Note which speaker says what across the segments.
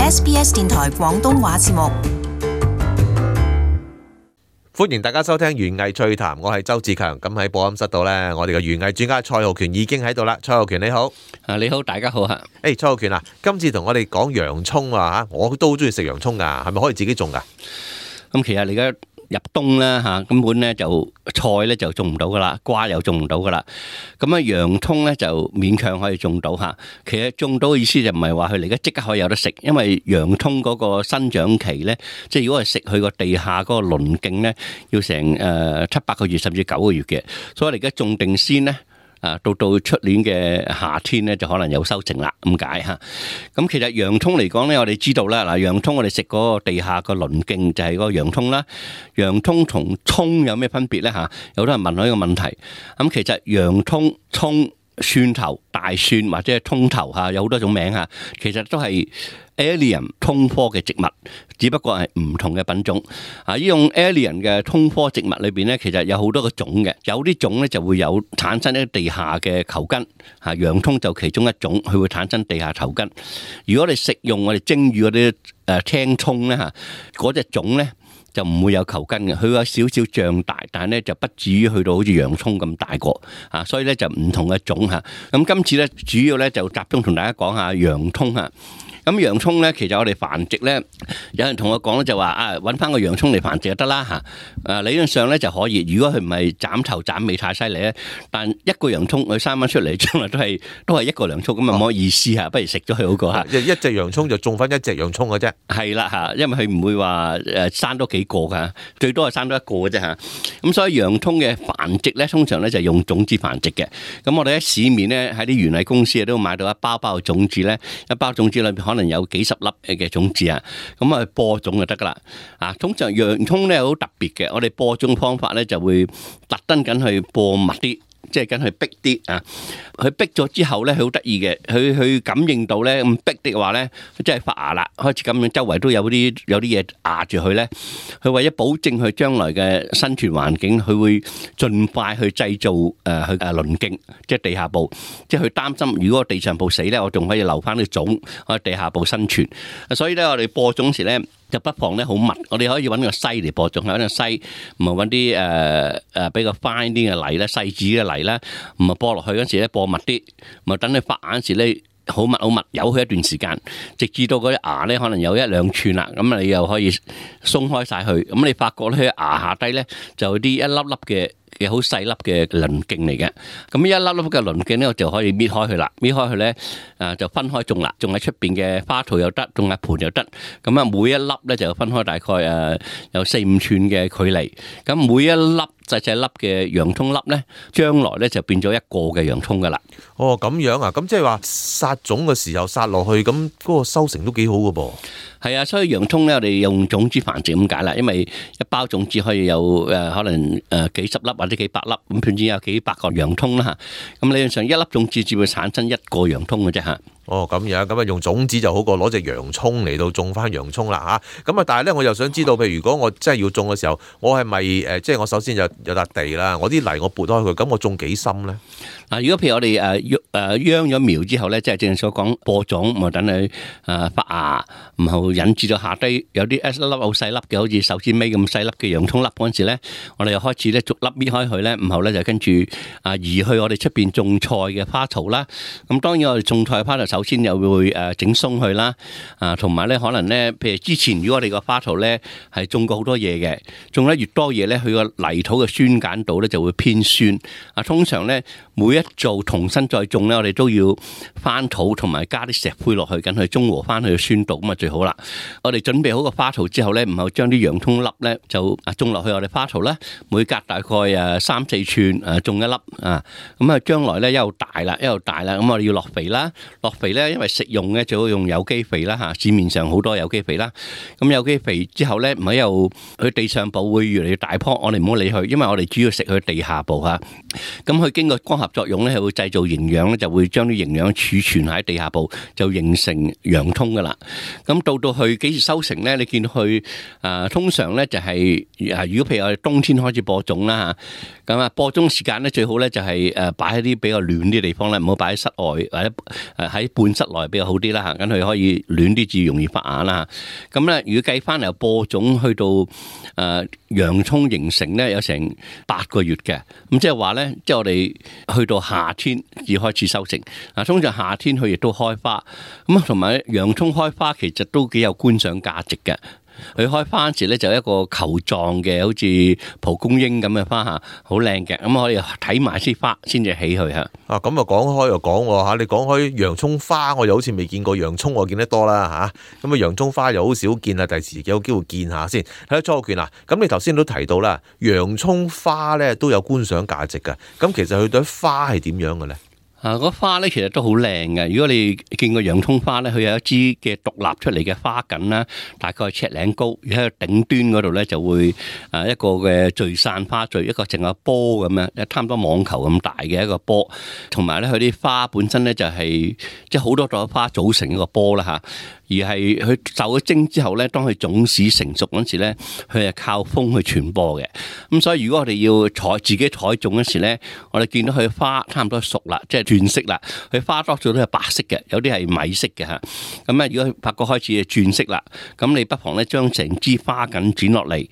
Speaker 1: SBS 電台廣東話節目。
Speaker 2: 歡迎大家收聽園藝趣談，我係周志強。咁喺播音室度呢，我哋嘅園藝專家蔡浩權已經喺度啦。蔡浩權你好。
Speaker 3: 你好，大家好嚇。
Speaker 2: 蔡浩權啊，今次同我哋講洋葱啊嚇，我都好中意食洋葱噶，係咪可以自己種噶？
Speaker 3: 咁其實你而家入冬啦嚇，根本咧就菜咧就種唔到噶啦，瓜又種唔到噶啦。咁啊洋葱咧就勉強可以種到嚇。其實種到嘅意思就唔係話佢而家即刻可以有得食，因為洋葱嗰個生長期咧，即係如果係食佢個地下嗰個鱗莖咧，要成7-8個月甚至9個月嘅。所以我哋而家種定先咧。到出年嘅夏天咧，就可能有收成啦，咁解嚇。咁其實洋葱嚟講咧，我哋知道啦，嗱，洋葱我哋食嗰個地下個鱗莖就係嗰個洋葱啦。洋葱同葱有咩分別咧嚇？有好多人問我呢個問題。咁其實洋葱、葱、蒜頭、大蒜或者係葱頭嚇，有好多種名嚇，其實都係Allium 葱科嘅植物，只不過係唔同嘅品種。呢種 Allium 嘅葱科植物裏邊咧，其實有好多個種嘅，有啲種咧就會有產生一啲地下嘅球根。洋葱就其中一種，佢會產生地下球根。如果你食用我哋蒸魚嗰啲青葱咧嚇，嗰隻種咧就唔會有球根嘅，佢有少少脹大，但係咧就不至於去到好似洋葱咁大個啊，所以咧就唔同嘅種嚇。咁今次咧主要咧就集中同大家講下洋葱嚇。咁洋葱咧，其實我哋繁殖咧，有人同我講咧就話揾翻個洋葱嚟繁殖就得啦嚇。理論上咧就可以，如果佢唔係斬頭斬尾太犀利咧，但一個洋葱佢生翻出嚟，將來都係一個洋葱，咁啊冇乜意思嚇，不如食咗佢好過嚇。
Speaker 2: 一隻洋葱就種翻一隻洋葱嘅啫。係
Speaker 3: 啦嚇，因為佢唔會話生多幾個㗎，最多係生多一個嘅啫嚇。咁所以洋葱嘅繁殖咧，通常咧就用種子繁殖嘅。咁我哋喺市面咧喺啲園藝公司都買到一包包嘅種子咧，一包種子裏邊可能有幾十粒嘅種子啊，咁啊播種就得噶啦。通常洋葱咧好特別嘅，我哋播種方法咧就會特登緊去播密啲，即係緊去逼啲啊。佢逼咗之後咧，佢好得意嘅，佢感應到咧咁逼的話咧，即係發芽啦，開始咁樣周圍都有啲嘢壓住佢咧。佢為咗保證佢將來嘅生存環境，佢會盡快去製造佢鱗莖，即係地下部。即係佢擔心，如果地上部死咧，我仲可以留翻啲種喺地下部生存。所以咧，我哋播種時咧就不妨咧好密，我哋可以揾個篩嚟播種，揾個篩，唔係揾啲比較 fine 啲嘅泥咧，細緻嘅泥咧，唔係播落去嗰時咧播密啲，咪等你發芽時咧好密，由佢一段時間，直至到嗰啲芽咧可能有1-2寸啦，咁你又可以鬆開晒佢，咁你發覺咧芽下低咧就有啲一粒粒嘅好細粒嘅鱗莖嚟嘅，咁一粒粒嘅鱗莖咧，我就可以搣開佢啦，搣開佢咧就分開種啦，種喺出邊嘅花槽又得，種喺盆又得，咁啊每一粒咧就分開大概有4-5寸嘅距離，咁每一粒細粒嘅洋葱粒咧，將來咧就變咗一個嘅洋葱噶啦。
Speaker 2: 哦，咁樣啊，咁即係話撒種嘅時候撒落去，咁嗰個收成都幾好噶噃。
Speaker 3: 係啊，所以洋葱咧，我哋用種子繁殖咁解啦，因為一包種子可以有可能幾十粒或者幾百粒，咁總之有幾百個洋葱啦嚇。咁理論上一粒種子只會產生一個洋葱嘅啫嚇。
Speaker 2: 哦，咁樣咁啊，用種子就好過攞隻洋葱嚟到種翻洋葱啦嚇。咁啊，但係咧，我又想知道，譬如如果我真係要種嘅時候，我係咪即係我首先有笪地啦，我啲泥我撥開佢，咁我種幾深咧？
Speaker 3: 嗱，如果譬如我哋秧咗苗之後咧，即係正所講播種，咪等佢發芽，然後引致到下低有啲一粒粒好細粒嘅，好似手指尾咁細粒嘅洋葱粒嗰陣時咧，我哋又開始咧逐粒搣開佢咧，然後咧就跟住移去我哋出邊種菜嘅花槽啦。咁當然我哋種菜嘅花槽首先又會整鬆佢啦，同埋咧可能咧，譬如之前如果我哋個花槽咧係種過好多嘢嘅，種得越多嘢咧，佢個泥土嘅酸鹼度咧就會偏酸。通常咧每一做重新再種咧，我哋都要翻土同埋加啲石灰落去，緊去中和翻佢嘅酸度，咁啊最好啦。我哋準備好個花槽之後咧，然後將啲洋葱粒咧就種落去我哋花槽啦，每隔大概3-4寸種一粒啊，咁啊將來咧一路大啦，咁我哋要落肥啦，落肥咧因為食用咧最好用有機肥啦嚇，市面上好多有機肥啦。咁有機肥之後咧，唔係又佢地上部會越嚟越大棵，我哋唔好理佢，因為我哋主要食佢地下部嚇。咁佢經過光合作用咧，係會製造營養咧，就會將啲營養儲存喺地下部，就形成洋葱噶啦。咁到去幾時收成咧？你見到佢通常咧就係如果譬如我哋冬天開始播種啦嚇，咁播種時間咧最好咧就係擺喺啲比較暖啲地方咧，唔好擺喺室外或者喺半室內比較好啲啦嚇，咁佢可以暖啲至容易發芽啦。咁咧，如果計翻由播種去到洋葱形成咧，有成8個月嘅。咁即係話咧，即係我哋去到夏天至開始收成。通常夏天佢亦都開花。咁同埋洋葱開花其實都幾有觀賞價值嘅。佢開花時咧就一個球狀嘅，好似蒲公英咁嘅花嚇，好靚嘅。咁我哋睇埋啲花先至起佢嚇。
Speaker 2: 咁啊講開又講喎嚇，你講開洋葱花，我又好似未見過洋葱，我見得多啦嚇。咁啊洋葱花又好少見啊，第時有機會見下先。睇下莊浩權啊，咁你頭先都提到啦，洋葱花咧都有觀賞價值嘅。咁其實佢對花係點樣嘅咧？
Speaker 3: 個花咧其實都好靚嘅。如果你見過洋葱花咧，佢有一支嘅獨立出嚟嘅花梗啦，大概尺零高，而喺頂端嗰度咧就會一個嘅聚散花序，一個淨係波咁樣，差唔多網球咁大嘅一個波。同埋咧，佢啲花本身咧就係即係好多朵花組成一個波啦嚇。而係佢受咗精之後咧，當佢種子成熟嗰時咧，佢係靠風去傳播嘅。咁所以如果我哋要自己採種嗰時咧，我哋見到佢花差唔多熟啦，即係轉色啦。佢花多數都係白色嘅，有啲係米色嘅嚇。咁咧，如果發覺開始轉色啦，咁你不妨咧將成支花梗剪落嚟，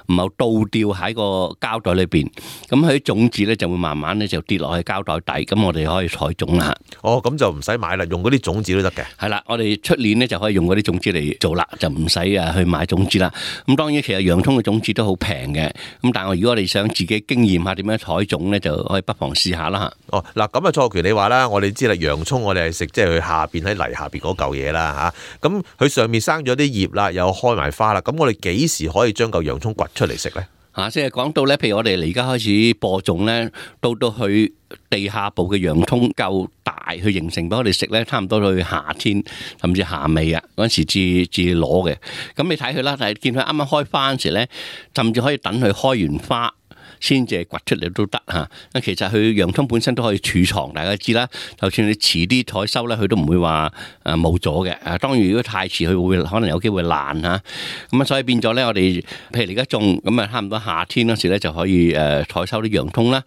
Speaker 3: 唔好倒吊喺個膠袋裏邊。咁佢啲種子咧就會慢慢咧就跌落去膠袋底，咁我哋可以採種啦。
Speaker 2: 哦，咁就唔使買啦，用嗰啲種子都得嘅。
Speaker 3: 係啦，我哋出年咧就可以用嗰啲種子嚟做啦，就唔使去買種子啦。咁當然其實洋葱嘅種子都好平嘅，咁但係如果我哋想自己經驗下點樣採種咧，就可以不妨試下啦嚇。
Speaker 2: 哦，嗱咁啊，莊浩權你話啦，我哋知啦，洋葱我哋係食即係佢下邊喺泥下邊嗰嚿嘢啦嚇。咁佢上面生咗啲葉啦，又開埋花啦，咁我哋幾時可以將嚿洋葱掘出嚟食咧？
Speaker 3: 即係講到咧，譬如我哋而家開始播種咧，到去地下部嘅洋葱夠大去形成俾我哋食咧，差唔多去夏天甚至夏尾啊嗰陣時至攞嘅。咁你睇佢啦，但係見佢啱啱開花嗰時咧，甚至可以等佢開完花先至掘出嚟都得嚇。其實佢洋葱本身都可以儲藏，大家知啦。就算你遲啲採收咧，佢都唔會話冇咗嘅。當然如果太遲，佢會可能有機會爛嚇。咁啊，所以變咗咧，我哋譬如而家種咁啊，差唔多夏天嗰時咧就可以採收啲洋葱啦。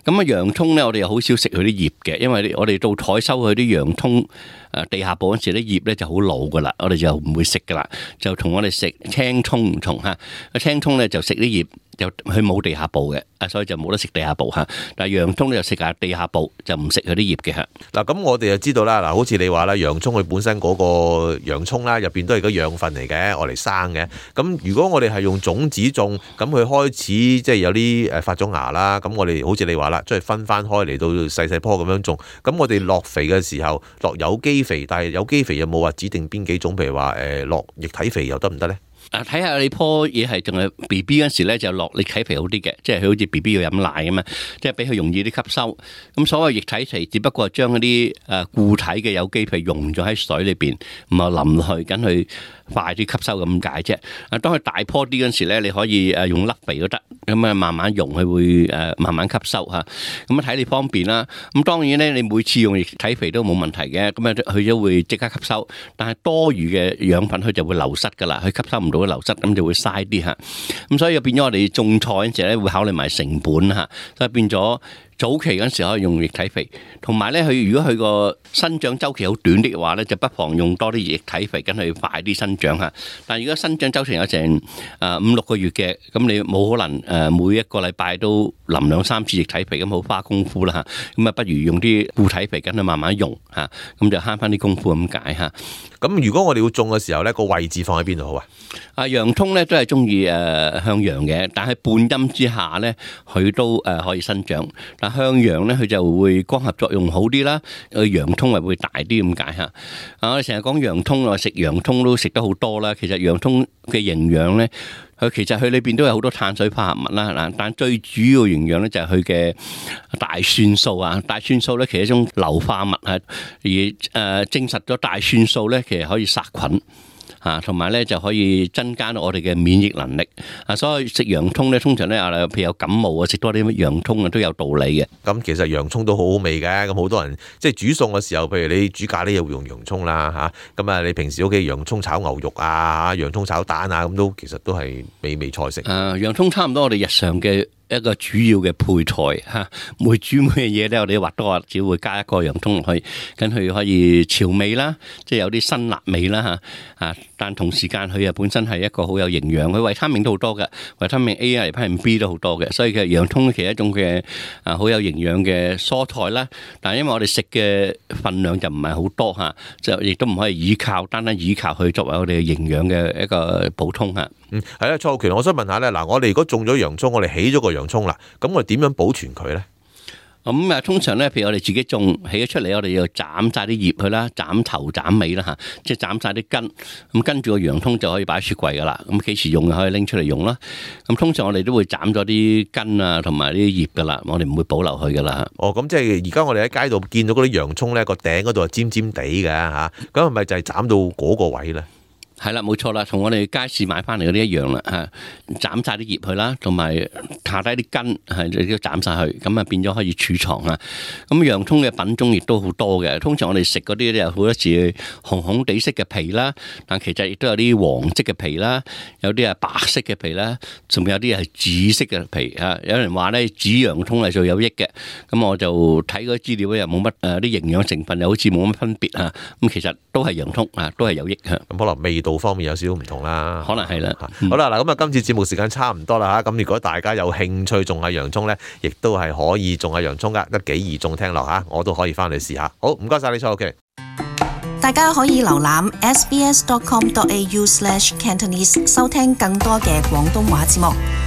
Speaker 3: 咁啊，洋葱咧我哋又好少食佢啲葉嘅，因為我哋到採收佢啲洋葱地下部嗰時啲葉咧就好老噶啦，我哋就唔會食噶啦。就同我哋食青葱唔同嚇。青葱咧就食啲葉。就佢冇地下部嘅，所以就冇得食地下部嚇。但係洋葱咧就食下地下部，就唔食佢啲葉嘅嚇。
Speaker 2: 嗱，咁我哋就知道啦。嗱，好似你話啦，洋葱佢本身嗰個洋葱啦，入邊都係個養分嚟嘅，我嚟生嘅。咁如果我哋係用種子種，咁佢開始即係有啲發咗芽啦。咁我哋好似你話啦，即係分翻開嚟到細細棵咁樣種。咁我哋落肥嘅時候落有機肥，但係有機肥有冇話指定邊幾種？譬如話落液體肥又得唔得咧？
Speaker 3: 睇下你棵嘢係仲係 B B 嗰時咧，就落液體肥好啲嘅，即係佢好似 B B 要飲奶咁嘛，即係俾佢容易啲吸收。咁所謂液體肥，只不過係將嗰啲固體嘅有機肥溶咗喺水裏邊，唔係淋落去，緊佢快啲吸收咁解啫。當佢大棵啲嗰時咧，你可以用粒肥都得，咁啊慢慢溶，佢會慢慢吸收嚇。咁啊睇你方便啦。咁當然咧，你每次用液體肥都冇問題嘅，咁啊佢都會即刻吸收。但係多餘嘅養分佢就會流失㗎啦，佢吸收唔到。流失咁就會嘥啲嚇，咁所以變咗我哋種菜嗰陣時咧會考慮埋成本嚇，所以變咗早期嗰陣時可以用液體肥，同埋咧佢如果佢個生長週期好短啲嘅話咧，就不妨用多啲液體肥，跟佢快啲生長嚇。但係如果生長週期有成5-6個月嘅，咁你冇可能每一個禮拜都淋2-3次液體肥，咁好花功夫啦嚇。咁啊不如用啲固體肥，跟佢慢慢用嚇，咁就慳翻啲功夫咁解嚇。
Speaker 2: 咁如果我哋要種嘅時候咧，個位置放喺邊度好啊？
Speaker 3: 洋葱咧都係中意向陽嘅，但係半陰之下咧，佢都可以生長。但向陽咧，佢就會光合作用好啲啦，洋葱係會大啲咁解嚇。我哋成日講洋葱，我食洋葱都食得好多啦。其實洋葱嘅營養咧，其實佢裏邊都有好多碳水化合物啦。嗱，但最主要營養咧就係佢嘅大蒜素啊。大蒜素咧其實係一種硫化物啊，而證實咗大蒜素咧其實可以殺菌。嚇，同埋咧就可以增加到我哋嘅免疫能力啊。所以食洋葱咧，通常咧譬如有感冒啊，食多啲洋葱啊都有道理嘅。
Speaker 2: 咁其實洋葱都好好味嘅，咁好多人即係煮餸嘅時候，譬如你煮咖喱又會用洋葱啦嚇，咁啊你平時屋企洋葱炒牛肉啊、洋葱炒蛋啊，咁其實都係美味菜式。
Speaker 3: 洋葱差唔多我哋日常嘅一個主要嘅配菜嚇，每煮每樣嘢咧，我哋或多或少會加一個洋葱落去，跟佢可以調味啦，即係有啲辛辣味啦嚇。但同時間佢本身係一個好有營養，佢維他命都好多嘅，維他命 A 啊、維他命 B 都好多嘅，所以嘅洋葱其實一種嘅好有營養嘅蔬菜啦。但係因為我哋食嘅份量就唔係好多嚇，就亦都唔可以單單依靠佢作為我哋嘅營養嘅一個補充嚇。
Speaker 2: 係啦，蔡浩權，我想問下咧，嗱，我哋如果種咗洋葱，我哋起咗個洋葱啦，咁我哋點樣保存佢咧？
Speaker 3: 咁通常咧，譬如我哋自己種起咗出嚟，我哋要斬晒啲葉佢啦，斬頭斬尾啦嚇，即係斬晒啲根。咁跟住個洋葱就可以擺喺雪櫃噶啦。咁幾時用就可以拎出嚟用啦。咁通常我哋都會斬咗啲根啊，同埋啲葉噶啦，我哋唔會保留佢噶啦。
Speaker 2: 哦，咁即係而家我哋喺街度見到嗰啲洋葱咧，個頂嗰度係尖尖地嘅嚇，咁係咪就係斬到嗰個位咧？
Speaker 3: 係啦，冇錯啦，同我哋街市買翻嚟嗰啲一樣啦嚇，斬晒啲葉去啦，同埋下低啲根係都斬晒去，咁啊變咗可以儲藏啊。咁洋葱嘅品種亦都好多嘅，通常我哋食嗰啲咧有好多時紅紅地色嘅皮啦，但其實亦都有啲黃色嘅皮啦，有啲係白色嘅皮啦，仲有啲係紫色嘅皮啊。有人話咧紫洋葱係最有益嘅，咁我就睇嗰啲資料咧又冇乜啲營養成分又好似冇乜分別啊。咁其實都係洋葱啊，都係有益嚇。
Speaker 2: 咁可能味道方面有少少唔同啦，
Speaker 3: 可能係啦。
Speaker 2: 好啦，嗱咁啊，今次節目時間差唔多啦嚇，咁如果大家有興趣種下洋葱咧，亦都係可以種下洋葱噶，得幾易種聽落嚇，我都可以翻嚟試下。好，唔該晒你，蔡浩權。
Speaker 1: 大家可以瀏覽 sbs.com.au/cantonese 收聽更多嘅廣東話節目。